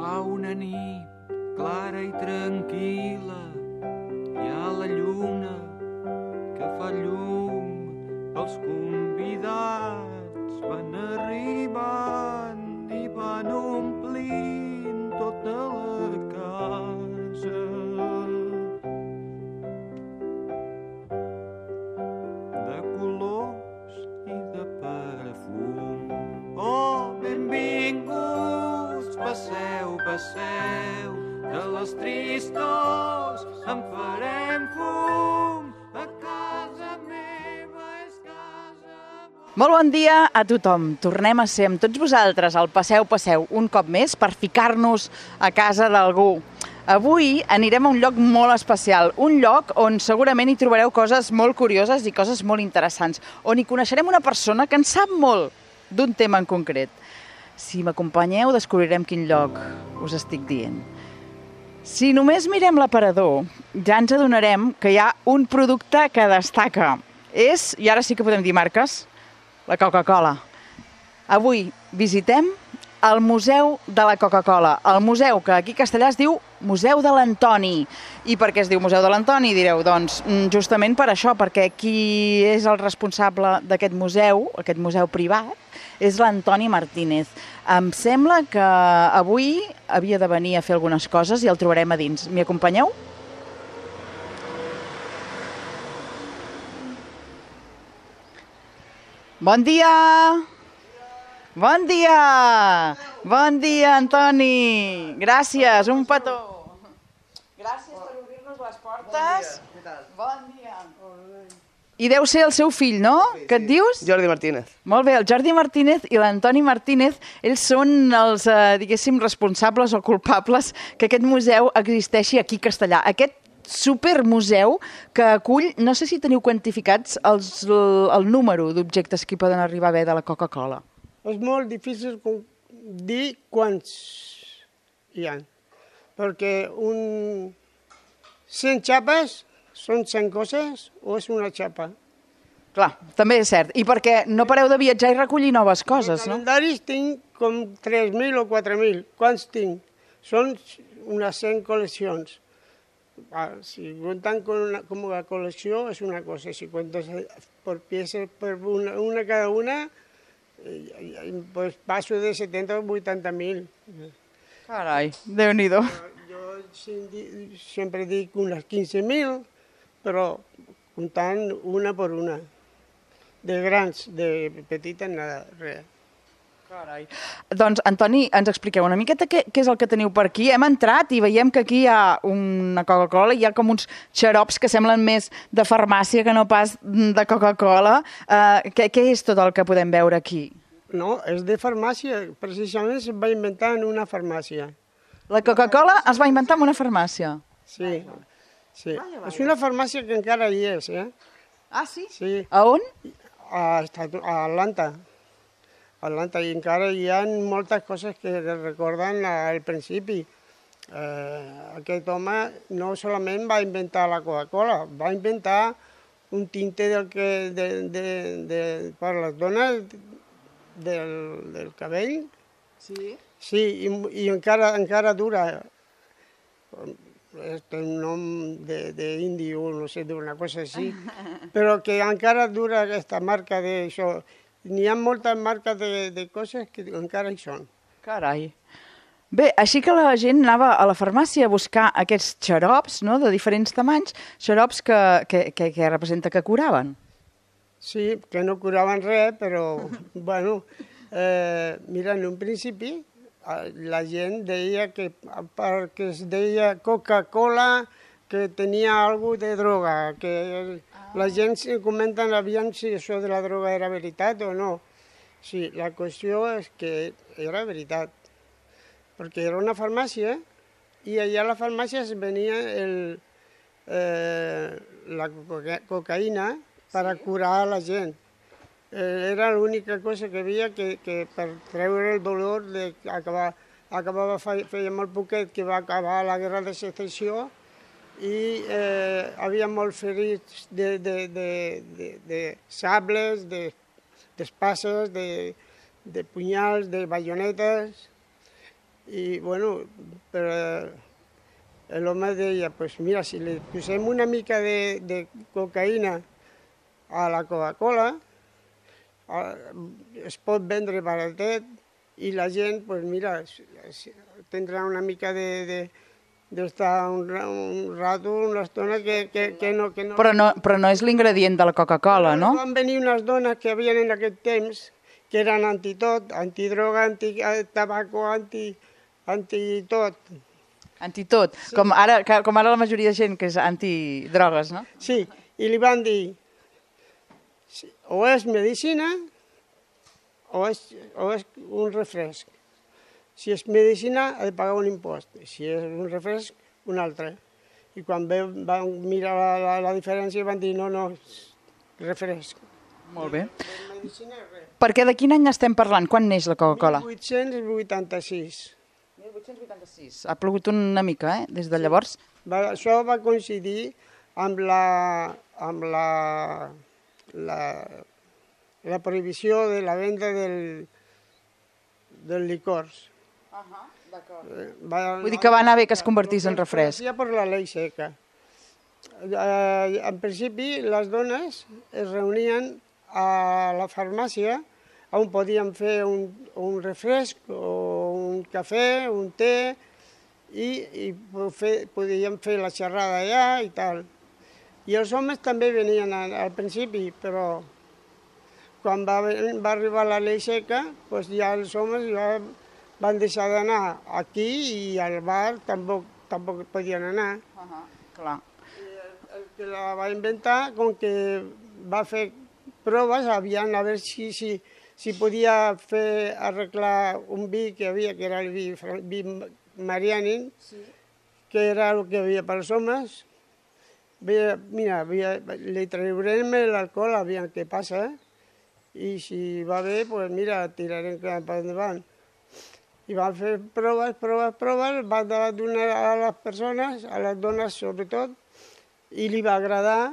fa una nit clara i tranquil·la, hi ha la lluna que fa llum pels convidats, van arribant i van omplint tota la casa. De colors i de perfum. Oh, benvinguts, passeu, passeu, de les tristors en farem fum, a casa meva és casa... Molt bon dia a tothom. Tornem a ser amb tots vosaltres al Passeu, Passeu, un cop més per ficar-nos a casa d'algú. Avui anirem a un lloc molt especial, un lloc on segurament hi trobareu coses molt curioses i coses molt interessants, on hi coneixerem una persona que en sap molt d'un tema en concret. Si m'acompanyeu, descobrirem quin lloc us estic dient. Si només mirem l'aparador, ja ens adonarem que hi ha un producte que destaca. És, i ara sí que podem dir marques, la Coca-Cola. Avui visitem el Museu de la Coca-Cola. El museu que aquí a Castellà es diu Museu de l'Antoni. I per què es diu Museu de l'Antoni, direu? Doncs justament per això, perquè qui és el responsable d'aquest museu privat, és l'Antoni Martínez. Em sembla que avui havia de venir a fer algunes coses i el trobarem a dins. M'hi acompanyeu? Bon dia! Bon dia! Bon dia, Antoni! Gràcies, un petó! Gràcies per obrir-nos les portes. Què tal? Bon dia! I deu ser el seu fill, no? Què et dius? Jordi Martínez. Molt bé, el Jordi Martínez i l'Antoni Martínez, ells són els, diguéssim, responsables o culpables que aquest museu existeixi aquí a Castellà. Aquest supermuseu que acull, no sé si teniu quantificats el número d'objectes que hi poden arribar a haver de la Coca-Cola. És molt difícil dir quants hi ha, perquè 100 xapes són 100 coses o és una xapa? Clar, també és cert. I perquè no pareu de viatjar i recollir noves coses, no? Calendaris tinc com 3.000 o 4.000. Quants tinc? Són unes 100 col·leccions. Si compten com una col·lecció és una cosa, si comptes per peces, per una cada una, pues passo de 70 a 80.000. Carai, Déu-n'hi-do. Jo sempre dic unes 15.000, però comptant una per una. De grans, de petites, nada, res. Carai. Doncs, Antoni, ens expliqueu una miqueta què és el que teniu per aquí. Hem entrat i veiem que aquí hi ha una Coca-Cola, hi ha com uns xarops que semblen més de farmàcia que no pas de Coca-Cola. Què és tot el que podem veure aquí? No, és de farmàcia. Precisament es va inventar en una farmàcia. La Coca-Cola es va inventar en una farmàcia? Sí, sí. És una farmàcia que encara hi és, eh? Ah, sí? Sí. A on? A Atlanta. Atlanta, i encara hi ha moltes coses que recorden al principi. Aquest home no solament va inventar la Coca-Cola, va inventar un tinte per les dones del cabell. Sí. Sí, i encara dura. Té un nom d'indi o no sé, d'una cosa així, però que encara dura aquesta marca d'això. N'hi ha moltes marques de coses que encara hi són. Carai. Bé, així que la gent anava a la farmàcia a buscar aquests xarops, no?, de diferents tamanys, xarops que representa que curaven. Sí, que no curaven res, però, bueno, mira, en un principi la gent deia que perquè es deia Coca-Cola que tenia alguna de droga, que la gent comenten aviam si això de la droga era veritat o no. Sí, la qüestió és que era veritat, perquè era una farmàcia i allà a la farmàcia es venia la cocaïna per a curar la gent. Era l'única cosa que havia que per treure el dolor feia molt poquet que va acabar la guerra de secessió i havia molts ferits de sables, d'espases, de punyals, de baionetes, I, bueno, però l'home deia, pues mira, si li posem una mica de cocaïna a la Coca-Cola, es pot vendre baratet i la gent, pues mira, tindrà una mica d'estar un rato, una estona que no... Però no és l'ingredient de la Coca-Cola, no? Van venir unes dones que havien en aquest temps, que eren antitot, antidroga, antitabaco, antitot. Antitot, sí. com ara la majoria de gent que és antidrogues, no? Sí, i li van dir, o és medicina o és un refresc. Si és medicina, ha de pagar un impost. Si és un refresc, un altre. I quan van mirar la diferència van dir, no, refresc. Molt bé. Medicina, res. Perquè de quin any estem parlant? Quan neix la Coca-Cola? 1886. 1886. Ha plogut una mica, des de llavors? Això va coincidir amb la prohibició de la venda del licors. Vull dir que va anar bé que es convertís en refresc. Per la llei seca. En principi, les dones es reunien a la farmàcia on podien fer un refresc o un cafè, un té, i podien fer la xerrada allà i tal. I els homes també venien al principi, però quan va arribar la llei seca, doncs ja els homes ja van deixar d'anar aquí i al bar tampoc podien anar. Clar. El que la va inventar, com que va fer proves, aviam a veure si podia arreglar un vi que havia, que era el vi Marianin, que era el que hi havia pels homes. Mira, li traurem l'alcohol, aviam què passa, i si va bé, doncs mira, tirarem cap endavant. I van fer proves, van donar a les persones, a les dones sobretot, i li va agradar.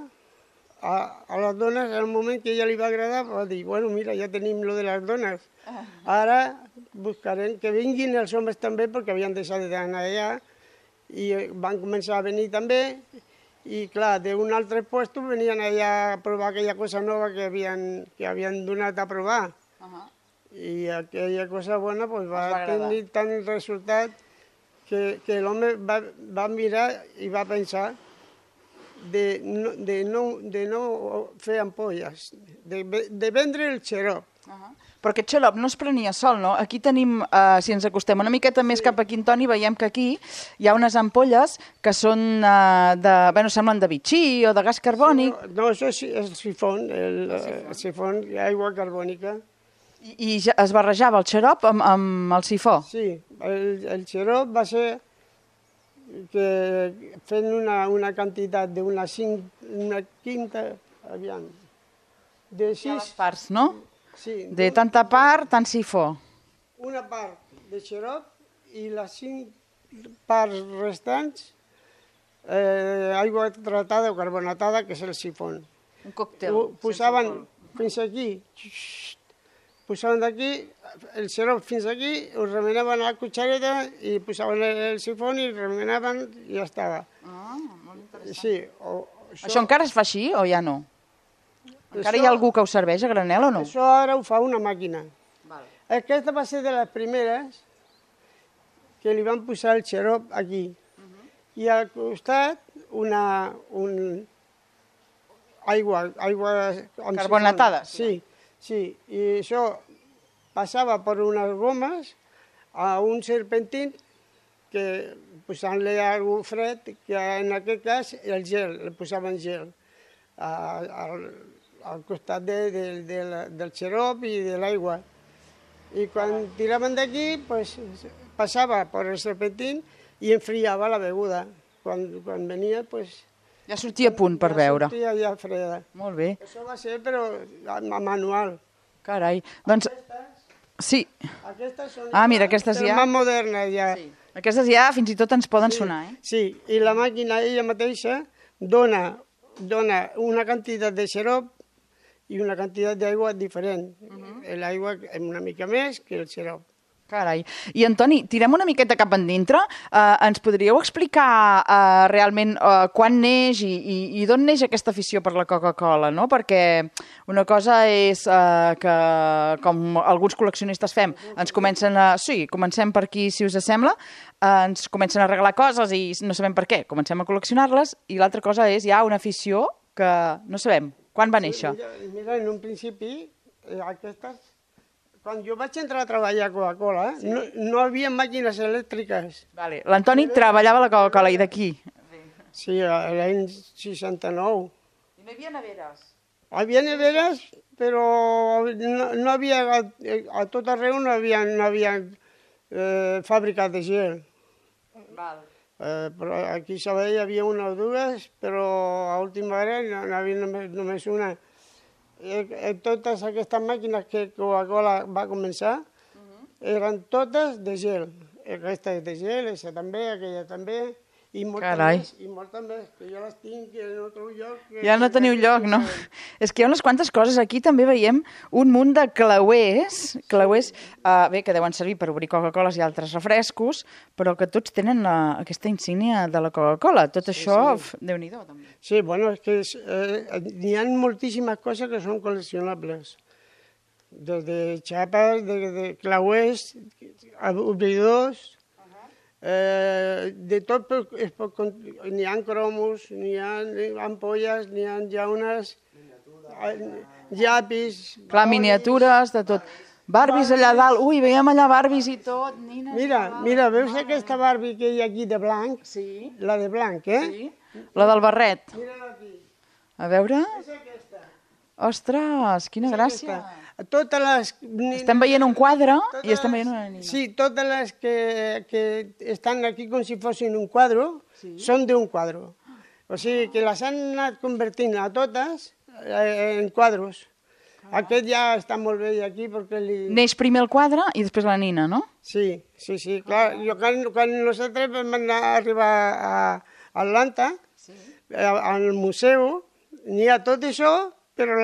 A les dones, en el moment que ja li va agradar, va dir, bueno, mira, ja tenim lo de les dones. Ara buscarem que vinguin els homes també, perquè havien deixat d'anar allà, i van començar a venir també, i clar, d'un altre lloc venien allà a provar aquella cosa nova que havien donat a provar. I aquella cosa bona va tenir tant resultat que l'home va mirar i va pensar de no fer ampolles, de vendre el xarop. Però aquest xarop no es prenia sol, no? Aquí tenim, si ens acostem una miqueta més cap aquí, Toni, veiem que aquí hi ha unes ampolles que són semblen de bitxí o de gas carbònic. No, això és el sifon, el sifon, aigua carbònica. I es barrejava el xarop amb el sifó? Sí, el xarop va ser que fent una quantitat d'una quinta, aviam, de 6... Hi ha les parts, no? Sí. De tanta part, tant sifó. Una part de xarop i les 5 parts restants aigua tratada o carbonatada, que és el sifon. Un còctel. Posaven fins aquí, posaven d'aquí el xarop fins aquí, ho remenaven a la cuchareta i posaven el sifon i remenaven i ja estava. Molt interessant. Sí. Això encara es fa així o ja no? Encara hi ha algú que ho serveix a granel o no? Això ara ho fa una màquina. Aquesta va ser de les primeres que li van posar el xarop aquí. I al costat aigua Carbonatada. Sí. I això passava per unes gomes a un serpentín que posant-li algú fred, que en aquest cas el gel, li posaven gel al costat del xarop i de l'aigua. I quan tiraven d'aquí, passava per el serpentín i enfriava la beguda. Quan venia, ja sortia a punt per beure. Ja sortia ja freda. Molt bé. Això va ser, però manual. Carai. Doncs, sí. Aquestes són mira, aquestes ja... més modernes, ja. Sí. Aquestes ja fins i tot ens poden sonar, eh? Sí, i la màquina ella mateixa dona una quantitat de xarop i una quantitat d'aigua diferent. L'aigua una mica més que el xarop. Carai. I, Antoni, tirem una miqueta cap endintre. Ens podríeu explicar realment quan neix i d'on neix aquesta afició per la Coca-Cola, no? Perquè una cosa és que, com alguns col·leccionistes fem, ens comencen Sí, comencem per aquí, si us sembla, ens comencen a regalar coses i no sabem per què, comencem a col·leccionar-les, i l'altra cosa és ja una afició que no sabem. Quan va néixer? Mira, en un principi, aquestes... Quan jo vaig entrar a treballar a Coca-Cola, no hi havia màquines elèctriques. Vale. L'Antoni treballava a la Coca-Cola, i d'aquí? Sí, l'any 69. I no hi havia neveres? Hi havia neveres, però no havia, a tot arreu no havia fàbriques de gel. Val. Però aquí a Sabadell hi havia una o dues, però a última hora no havia només una. Totes aquestes màquines que Coca-Cola va començar eren totes de gel. Aquesta és de gel, aquesta també, aquella també, i moltes més, que jo les tinc en otro lloc. Ja no teniu lloc, no? És que hi ha unes quantes coses. Aquí també veiem un munt de clauers, bé, que deuen servir per obrir Coca-Coles i altres refrescos, però que tots tenen aquesta insígnia de la Coca-Cola. Tot això, Déu-n'hi-do, també. Sí, bueno, és que n'hi ha moltíssimes coses que són col·leccionables. Des de xapes, de clauers, obridors, de tot, n'hi ha cromos, n'hi ha ampolles, n'hi ha llaunes, llapis... Clar, miniatures, de tot. Barbies allà dalt, ui, veiem allà Barbies i tot. Mira, veus aquesta Barbie que hi ha aquí de blanc? Sí. La de blanc, eh? Sí. La del barret. Mira-la aquí. A veure... És aquesta. Ostres, quina gràcia. Totes les... Estem veient un quadre i estem veient una nina. Sí, totes les que estan aquí com si fossin un quadre, són d'un quadre. O sigui que les han anat convertint a totes en quadres. Aquest ja està molt bé aquí perquè Neix primer el quadre i després la nina, no? Sí, clar. Quan nosaltres vam arribar a Atlanta, al museu, n'hi ha tot això, però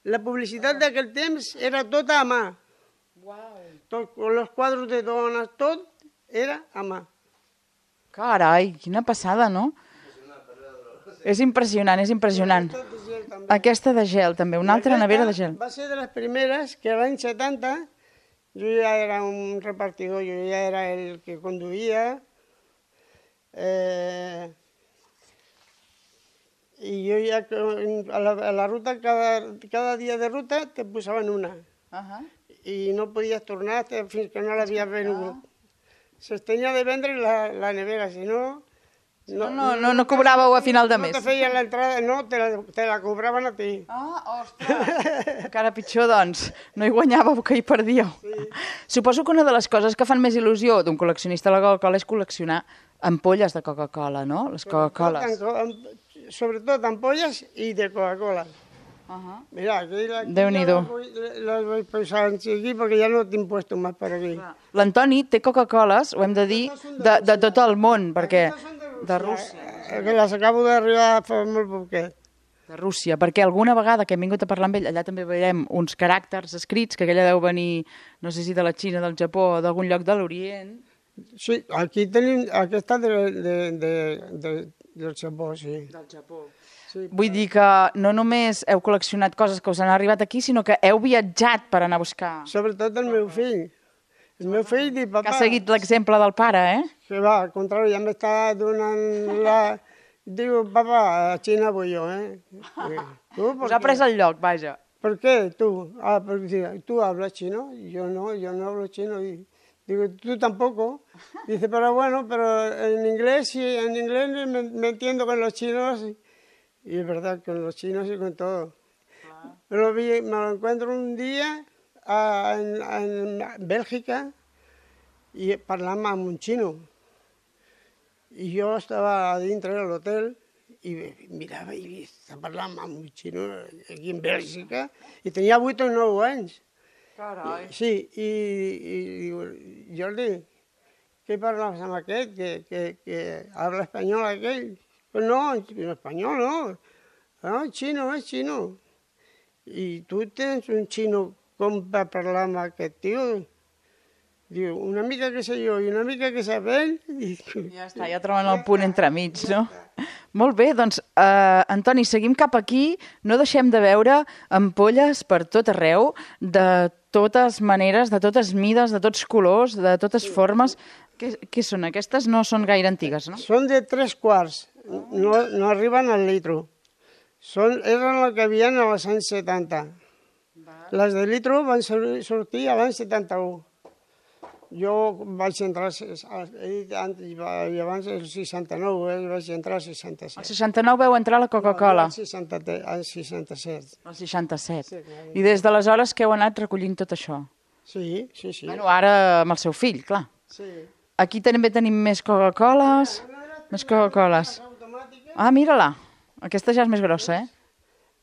la publicitat d'aquell temps era tota a mà. Els quadres de dones, tot era a mà. Carai, quina passada, no? És impressionant, és impressionant. Aquesta de gel, també, una altra nevera de gel. Va ser de les primeres que l'any 70 jo ja era un repartidor, jo ja era el que conduïa, i jo ja a la ruta, cada dia de ruta te posaven una. I no podies tornar fins que no l'havies venut. Se tenia de vendre la nevera, si no... No cobràveu a final de mes. No te feien l'entrada, no, te la cobraven a ti. Ah, ostres! Encara pitjor, doncs. No hi guanyàveu, que hi perdíeu. Suposo que una de les coses que fan més il·lusió d'un col·leccionista de la Coca-Cola és col·leccionar ampolles de Coca-Cola, no? Les Coca-Coles. Sobretot ampolles i de Coca-Cola. Mira, aquí Déu-n'hi-do. Les vull posar aquí perquè ja no tinc puesto més per aquí. L'Antoni té Coca-Coles, ho hem de dir, de tot el món, perquè... De Rússia. Que les acabo d'arribar fa molt poquet. De Rússia, perquè alguna vegada que hem vingut a parlar amb ell, allà també veiem uns caràcters escrits, que aquella deu venir, no sé si de la Xina, del Japó o d'algun lloc de l'Orient. Sí, aquí tenim aquesta del Japó, sí. Del Japó. Vull dir que no només heu col·leccionat coses que us han arribat aquí, sinó que heu viatjat per anar a buscar. Sobretot el meu fill. El meu fill diu, papà... Que ha seguit l'exemple del pare, Que va, al contrari, ja m'està donant la... Diu, papà, a Xina vull jo, Us ha pres el lloc, vaja. ¿Por qué tú? Porque tú hablas chino. Yo no hablo chino. Y digo, tú tampoco. Dice, pero bueno, pero en inglés sí, en inglés me entiendo con los chinos. Y es verdad, con los chinos y con todo. Claro. Me lo encuentro un día en Bélgica y parlàvem amb un xino. I jo estava a dintre de l'hotel i mirava i estava parlant amb un xino aquí en Bèlgica i tenia 8 o 9 anys. Carai. Sí, i diu, Jordi, què parlaves amb aquest? Que habla espanyol aquell? Pues no, en espanyol no. No, xino, és xino. I tu tens un xino com va parlar amb aquest tio? Diu, una mica que sé jo i una mica que sap ell. Ja està, ja troben el punt entremig, no? Molt bé, doncs, Antoni, seguim cap aquí. No deixem de veure ampolles per tot arreu, de totes maneres, de totes mides, de tots colors, de totes formes. Què són? Aquestes no són gaire antigues, no? Són de 3 quarts, no arriben al litro. Eren el que havien als anys 70. Les de litro van sortir a l'any 71. Jo vaig entrar, he dit abans el 69, vaig entrar al 66. El 69 veu entrar la Coca-Cola. El 67. El 67. I des d'aleshores que heu anat recollint tot això? Sí. Bueno, ara amb el seu fill, clar. Sí. Aquí també tenim més Coca-Coles. Més Coca-Coles. Ah, mira-la. Aquesta ja és més grossa,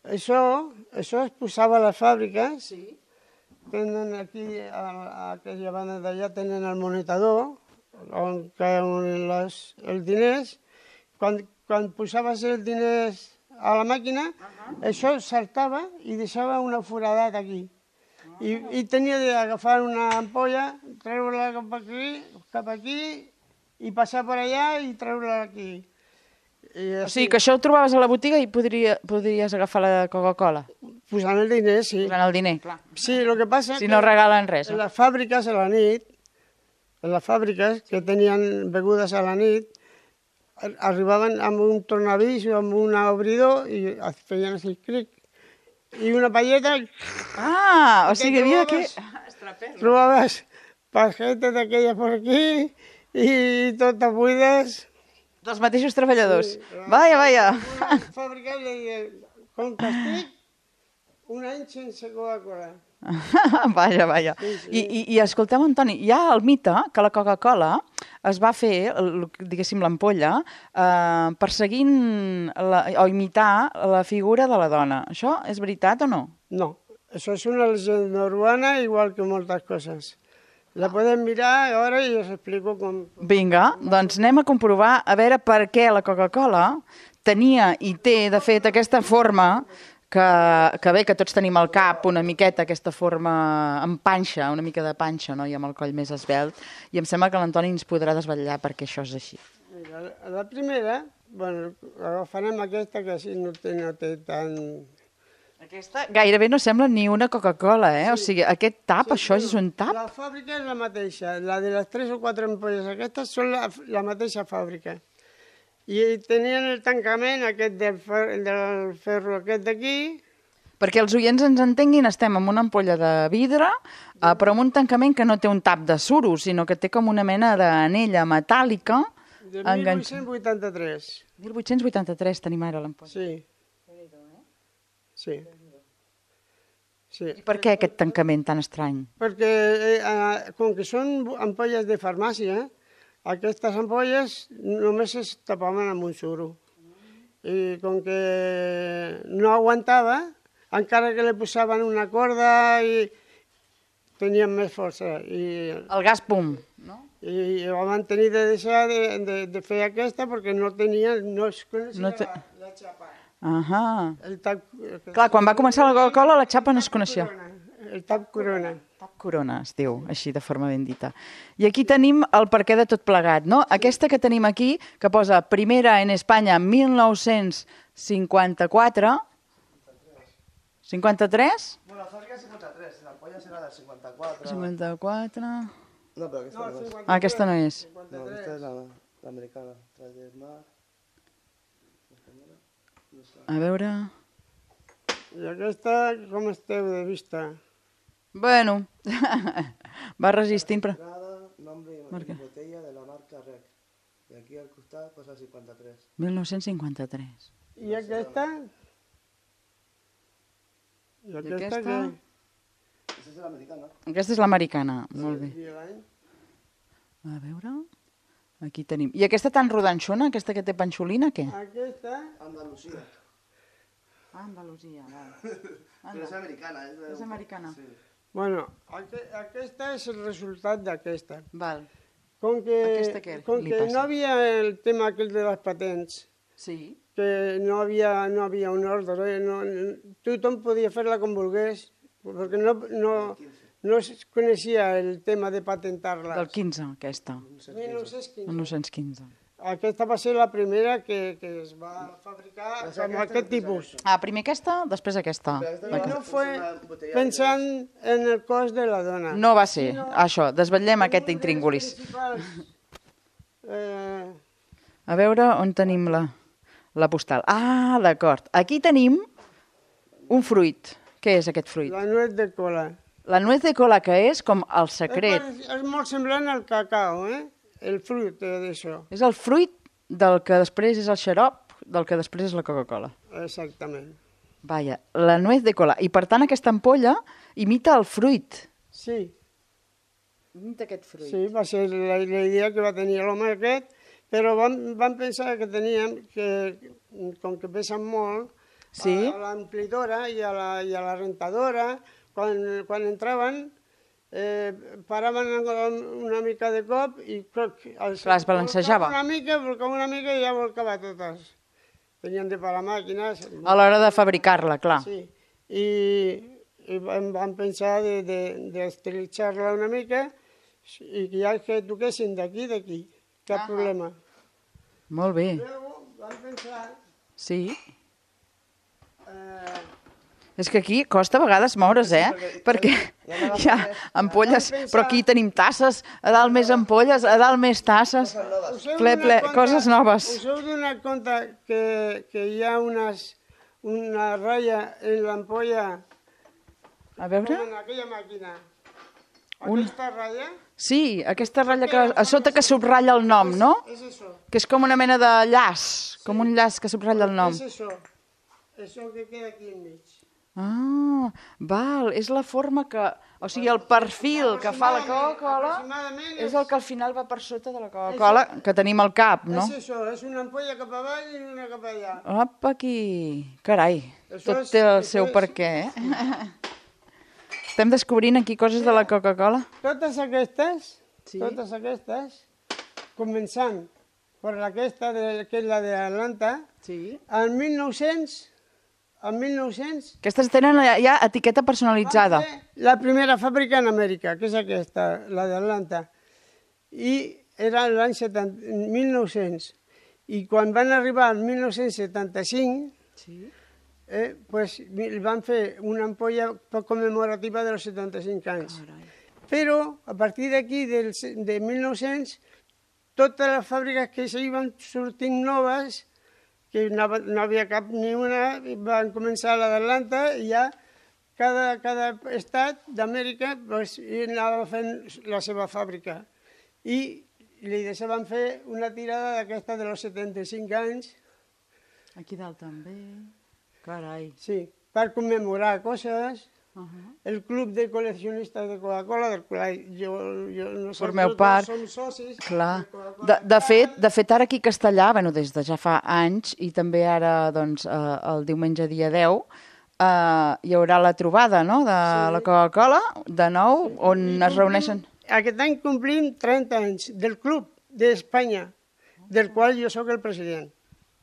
Això es posava a les fàbriques. Sí. Tenen aquí, a aquella banda d'allà, tenen el monetador, on cauen els diners. Quan posaves els diners a la màquina, això saltava i deixava una foradat aquí. I tenia d'agafar una ampolla, treure-la cap aquí, i passar per allà i treure-la aquí. O sigui, que això ho trobaves a la botiga i podries agafar la Coca-Cola. Posant el diner, sí. Posant el diner, clar. Sí, el que passa si no regalen res. En les fàbriques a la nit, que tenien begudes a la nit, arribaven amb un tornavís o amb un obridor i feien així, cric, i una palleta... Ah, o sigui, havia que... Trobaves pajetes d'aquelles per aquí i totes buides... Dels mateixos treballadors. Vaja. Una fàbrica li deia, com castig, un any sense Coca-Cola. Vaja. I escolteu, Antoni, hi ha el mite que la Coca-Cola es va fer, diguéssim, l'ampolla, perseguint o imitar la figura de la dona. Això és veritat o no? No, això és una llegenda urbana igual que moltes coses. La podem mirar ara i us explico com... Vinga, doncs anem a comprovar a veure per què la Coca-Cola tenia i té, de fet, aquesta forma que bé, que tots tenim al cap una miqueta, aquesta forma amb panxa, una mica de panxa, no? I amb el coll més esvelt. I em sembla que l'Antoni ens podrà desvetllar perquè això és així. Mira, la primera, bueno, agafarem aquesta que així no té tant... Aquesta gairebé no sembla ni una Coca-Cola, O sigui, aquest tap, això és un tap? La fàbrica és la mateixa, la de les 3 o 4 ampolles aquestes són la mateixa fàbrica. I tenien el tancament aquest del ferro aquest d'aquí. Perquè els oients ens entenguin, estem amb una ampolla de vidre, però amb un tancament que no té un tap de suro, sinó que té com una mena d'anella metàl·lica. De 1883. 1883 tenim ara l'ampolla. Sí. Sí. I per què aquest tancament tan estrany? Perquè, com que són ampolles de farmàcia, aquestes ampolles només es tapaven amb un suro. I com que no aguantava, encara que li posaven una corda, i tenien més força. El gas pum, no? I van tenir de deixar de fer aquesta perquè no es coneixia la xapa. Clar, quan va començar la Coca-Cola la xapa no es coneixia. El tap corona. Tap corona es diu, així de forma ben dita. I aquí tenim el perquè de tot plegat, no? Aquesta que tenim aquí, que posa primera en Espanya 1954... 53? Bueno, la fàbrica és 53, l'ampolla serà del 54... 54... No, però aquesta no és. Ah, aquesta no és. No, aquesta és l'americana. A veure... I aquesta, com esteu de vista? Bueno, va resistint, però... Nombre i botella de la marca Rec. I aquí al costat posa 53. 1953. I aquesta? I aquesta què? Aquesta és l'americana. Aquesta és l'americana, molt bé. I l'any? A veure... Aquí tenim. I aquesta tan rodanxona, aquesta que té panxolina, què? Aquesta? Andalusia. Ah, Andalusia, val. Però és americana. És americana. Sí. Bueno, aquesta és el resultat d'aquesta. Val. Com que no havia el tema aquell de les patents, Sí. que no havia un ordre, tothom podia fer-la com volgués, perquè no es coneixia el tema de patentar-la. Del 15, aquesta. 1915. 1915. Aquesta va ser la primera que es va fabricar amb aquest tipus. Primer aquesta, després aquesta. No fue pensant en el cos de la dona. No va ser, això, desvetllem aquest intríngulis. A veure on tenim la postal. D'acord. Aquí tenim un fruit. Què és aquest fruit? La nuez de cola. La nuez de cola, que és com el secret. És molt semblant al cacao, el fruit d'això. És el fruit del que després és el xarop, del que després és la Coca-Cola. Exactament. Vaja, la nuez de cola. I per tant aquesta ampolla imita el fruit. Sí. Imita aquest fruit. Sí, va ser la idea que va tenir l'home aquest, però vam pensar que teníem que, com que pesen molt, sí, a l'amplidora i a la rentadora, quan entraven, paraven una mica de cop i es balancejava. Una mica i ja volcava totes. Tenien de parar màquines. A l'hora de fabricar-la, clar. Sí, i vam pensar d'estilitzar-la una mica i que ja que toquessin d'aquí, cap problema. Molt bé. Vam pensar... Sí. És que aquí costa a vegades moure's, perquè hi ha ampolles, però aquí tenim tasses, a dalt més ampolles, a dalt més tasses, ple, coses noves. Us heu donat compte que hi ha una ratlla en l'ampolla, A veure... en aquella màquina? Aquesta ratlla? Sí, aquesta ratlla que a sota que subratlla el nom, no? És això. Que és com una mena de llaç, com un llaç que subratlla el nom. És això. Això que queda aquí enmig. Val, és la forma que... O sigui, el perfil que fa la Coca-Cola és el que al final va per sota de la Coca-Cola, que tenim al cap, no? És això, és una ampolla cap avall i una cap allà. Opa, aquí... Carai, tot té el seu perquè, Estem descobrint aquí coses de la Coca-Cola? Totes aquestes, començant per aquesta, que és la d'Atlanta, al 1900... Aquestes tenen ja etiqueta personalitzada. Va ser la primera fàbrica en Amèrica, que és aquesta, la d'Atlanta. I era l'any 1900. I quan van arribar al 1975, van fer una ampolla commemorativa dels 75 anys. Però, a partir d'aquí, de 1900, totes les fàbriques que s'hi sortint noves, que no havia cap ni una, van començar la d'Atlanta i ja cada estat d'Amèrica anava fent la seva fàbrica. I li deixaven fer una tirada d'aquesta dels 75 anys. Aquí dalt també. Carai. Sí, per commemorar coses. El club de col·leccionistes de Coca-Cola, del qual nosaltres som socis. Clar. De fet, ara aquí a Castellà, des de ja fa anys, i també ara el diumenge dia 10, hi haurà la trobada de la Coca-Cola, de nou, on es reuneixen... Aquest any complim 30 anys del club d'Espanya, del qual jo sóc el president.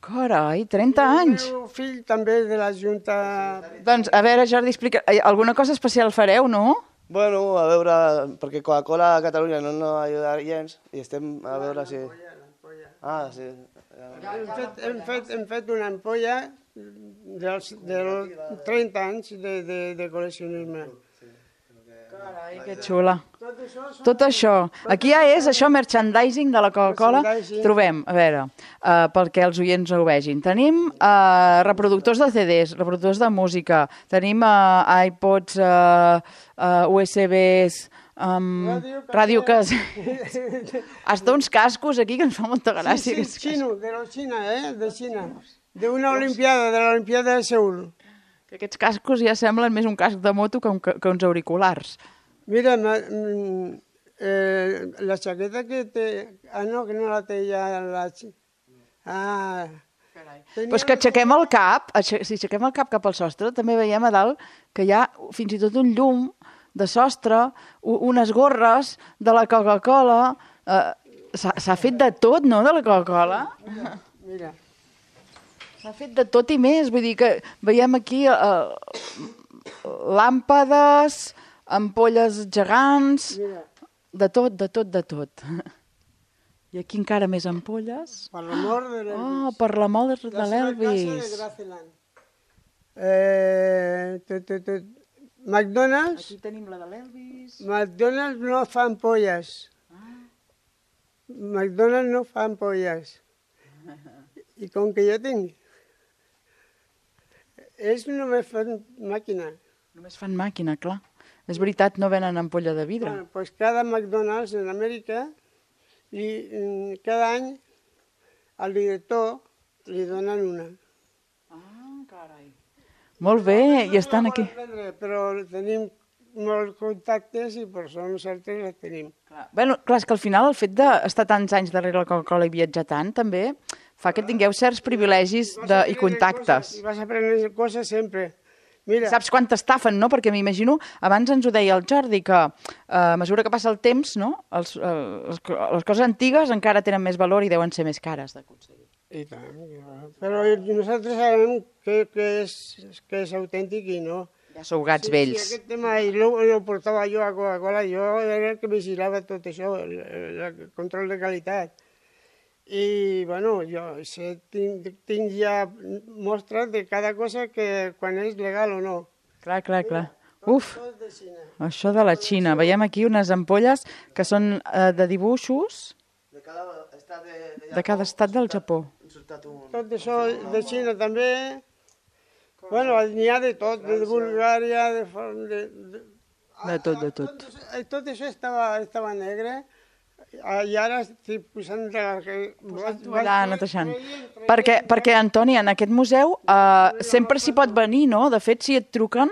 Carai, 30 anys! El meu fill també de la Junta... Doncs, a veure, Jordi, explica, alguna cosa especial fareu, no? Bueno, a veure, perquè Coca-Cola a Catalunya no ajuda gens, i estem a veure si... Sí. Hem fet una ampolla dels 30 anys de col·leccionisme. Carai, que xula. Tot això. Aquí ja és això, merchandising de la Coca-Cola. Trobem, a veure, perquè els oients ho vegin. Tenim reproductors de CDs, reproductors de música, tenim iPods, USBs, ràdio que... Hasta uns cascos aquí que ens fa molta gràcia. Sí, de Xina, d'una olimpiada, de l'Olimpiada de Seul. Que aquests cascos ja semblen més un casc de moto que uns auriculars. Mira, la xaqueta que té... no, que no la té ja la... Però és que aixequem el cap, si aixequem el cap cap al sostre, també veiem a dalt que hi ha fins i tot un llum de sostre, unes gorres de la Coca-Cola... S'ha fet de tot, no, de la Coca-Cola? Mira. S'ha fet de tot i més, vull dir que veiem aquí làmpades, ampolles gegants, Mira, de tot, de tot, de tot. I aquí encara més ampolles. per l'amor de l'Elvis. Oh, per l'amor de La seva casa de l'Elvis. Graceland. McDonald's, Aquí tenim la de l'Elvis. McDonald's no fa ampolles. McDonald's no fa ampolles. I com que jo tinc, ells només fan màquina. Només fan màquina, clar. És veritat, no venen ampolla de vidre. Bueno, pues cada McDonald's en Amèrica, cada any al director li donen una. Ah, carai. Molt bé, i estan aquí. Però tenim molts contactes i per això nosaltres les tenim. Bueno, clar, és que al final el fet d'estar tants anys darrere la Coca-Cola i viatjar tant també fa que tingueu certs privilegis i contactes. I vas aprenent coses sempre. Mira, Saps quant t'estafen, no? Perquè m'imagino, abans ens ho deia el Jordi, que a mesura que passa el temps, no? Les coses antigues encara tenen més valor i deuen ser més cares d'aconseguir. i tant, però nosaltres sabem que és autèntic i no. Ja sou gats vells. Si aquest tema lo portava jo a Coca-Cola, jo era el que vigilava tot això, el control de qualitat. I, bueno, jo tinc ja mostres de cada cosa que quan és legal o no. Clar, clar, clar. Uf, Tot de Xina. això de la Xina. Veiem aquí unes ampolles que són de dibuixos De cada estat de cada estat del Japó. Tot això de Xina també. Bueno, n'hi ha de tot, de Bulgària, De tot, de tot. Tot això estava negre i ara estic posant Allà, netejant. Perquè, Antoni, en aquest museu sempre s'hi pot venir, no? De fet, si et truquen,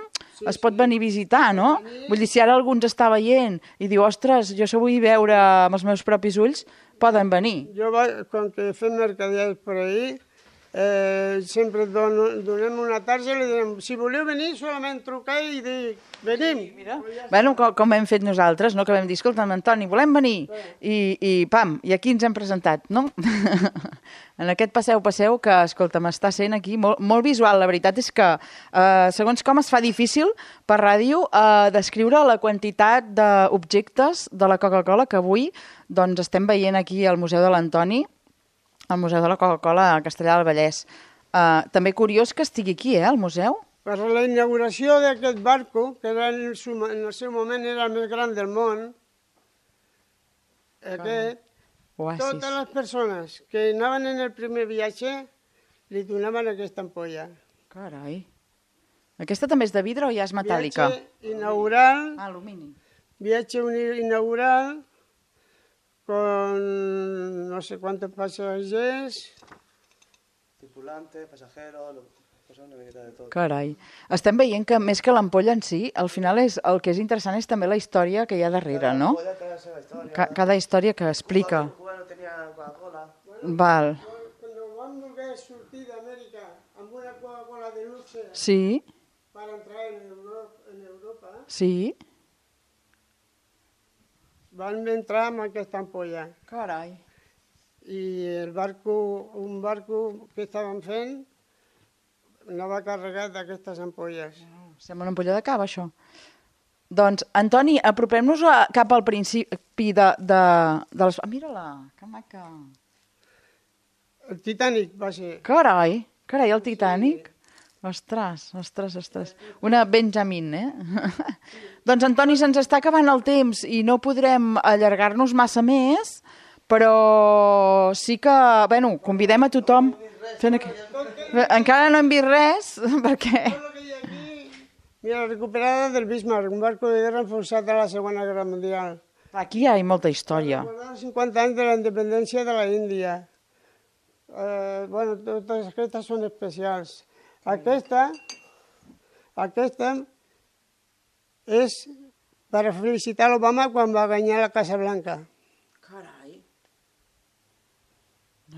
es pot venir a visitar, no? Vull dir, si ara algú ens està veient i diu, ostres, jo això vull veure amb els meus propis ulls, poden venir. Jo, quan que fem mercadials per ahir, sempre donem una tarja i li diem, si voleu venir, solament trucar i dir, venim. Bueno, com hem fet nosaltres, no? Que vam dir, escolta'm, Antoni, volem venir. I pam, i aquí ens hem presentat, no? En aquest passeu, que, escolta'm, està sent aquí molt visual. La veritat és que, segons com es fa difícil per ràdio descriure la quantitat d'objectes de la Coca-Cola que avui doncs, estem veient aquí al Museu de l'Antoni, al Museu de la Coca-Cola a Castellar del Vallès. També curiós que estigui aquí, al museu. Per la inauguració d'aquest barco, que era en el seu moment era el més gran del món, totes les persones que anaven en el primer viatge li donaven aquesta ampolla. Carai. Aquesta també és de vidre o ja és metàl·lica? Viatge inaugural. Alumini. Viatge inaugural con no sé cuántos pasajeros. Tripulante, pasajero, una miqueta de tot. Carai. Estem veient que més que l'ampolla en si, al final el que és interessant és també la història que hi ha darrere, no? Cada història que explica. Cuba no tenia Coca-Cola. Val. Cuando van a sortir de América amb una Coca-Cola de luxe Sí, para entrar en Europa, sí. van entrar amb aquesta ampolla. Carai. I un barco que estaven fent anava carregat d'aquestes ampolles. Sembla una ampolla de cava, això. Doncs, Antoni, apropem-nos cap al principi de les... Mira-la, que maca. El Titanic va ser. Carai, el Titanic. Ostres. Una Benjamin, Doncs, Antoni, se'ns està acabant el temps i no podrem allargar-nos massa més, però sí que, bueno, convidem a tothom. Encara no hem vist res, perquè... Mira, la recuperada del Bismarck, un barco de guerra enfonsat a la Segona Guerra Mundial. Aquí hi ha molta història. Recordar els 50 anys de la independència de la Índia. Bueno, totes aquestes són especials. Aquesta és per felicitar l'Obama quan va guanyar la Casa Blanca. Carai.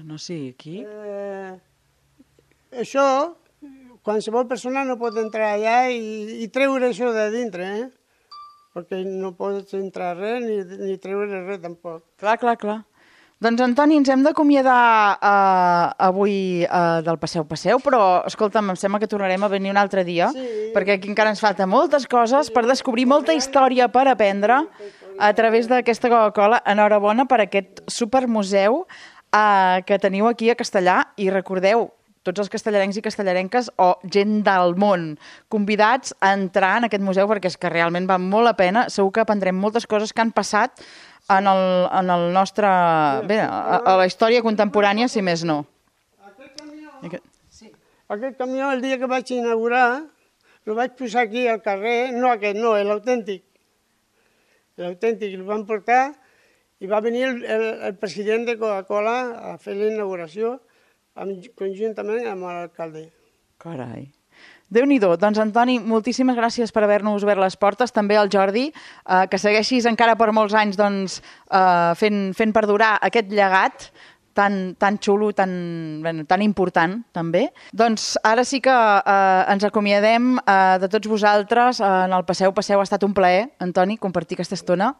No, sí, aquí... Això, qualsevol persona no pot entrar allà i treure això de dintre, perquè no pots entrar res ni treure res tampoc. Clar. Doncs, Antoni, ens hem d'acomiadar avui del Passeu, però, escolta'm, em sembla que tornarem a venir un altre dia, perquè aquí encara ens falta moltes coses per descobrir, molta història per aprendre a través d'aquesta Coca-Cola. Enhorabona per aquest supermuseu que teniu aquí a Castellar, i recordeu, tots els castellarencs i castellarenques o gent del món convidats a entrar en aquest museu, perquè és que realment val molt la pena. Segur que aprendrem moltes coses que han passat en el nostre... Bé, a la història contemporània, si més no. Aquest camió, el dia que vaig inaugurar, el vaig posar aquí al carrer, no aquest, no, l'autèntic. L'autèntic, el van portar i va venir el president de Coca-Cola a fer la inauguració conjuntament amb l'alcalde. Carai. Déu-n'hi-do. Doncs, Antoni, moltíssimes gràcies per haver-nos obert les portes. També al Jordi, que segueixis encara per molts anys fent perdurar aquest llegat tan xulo, tan important, també. Doncs ara sí que ens acomiadem de tots vosaltres en el Passeu. Ha estat un plaer, Antoni, compartir aquesta estona.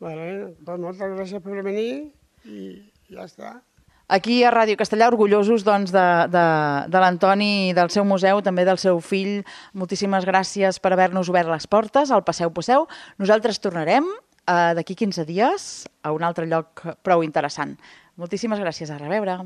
Doncs moltes gràcies per venir i ja està. Aquí a Ràdio Castellar, orgullosos de l'Antoni i del seu museu, també del seu fill. Moltíssimes gràcies per haver-nos obert les portes al Passeu. Nosaltres tornarem d'aquí 15 dies a un altre lloc prou interessant. Moltíssimes gràcies. A reveure.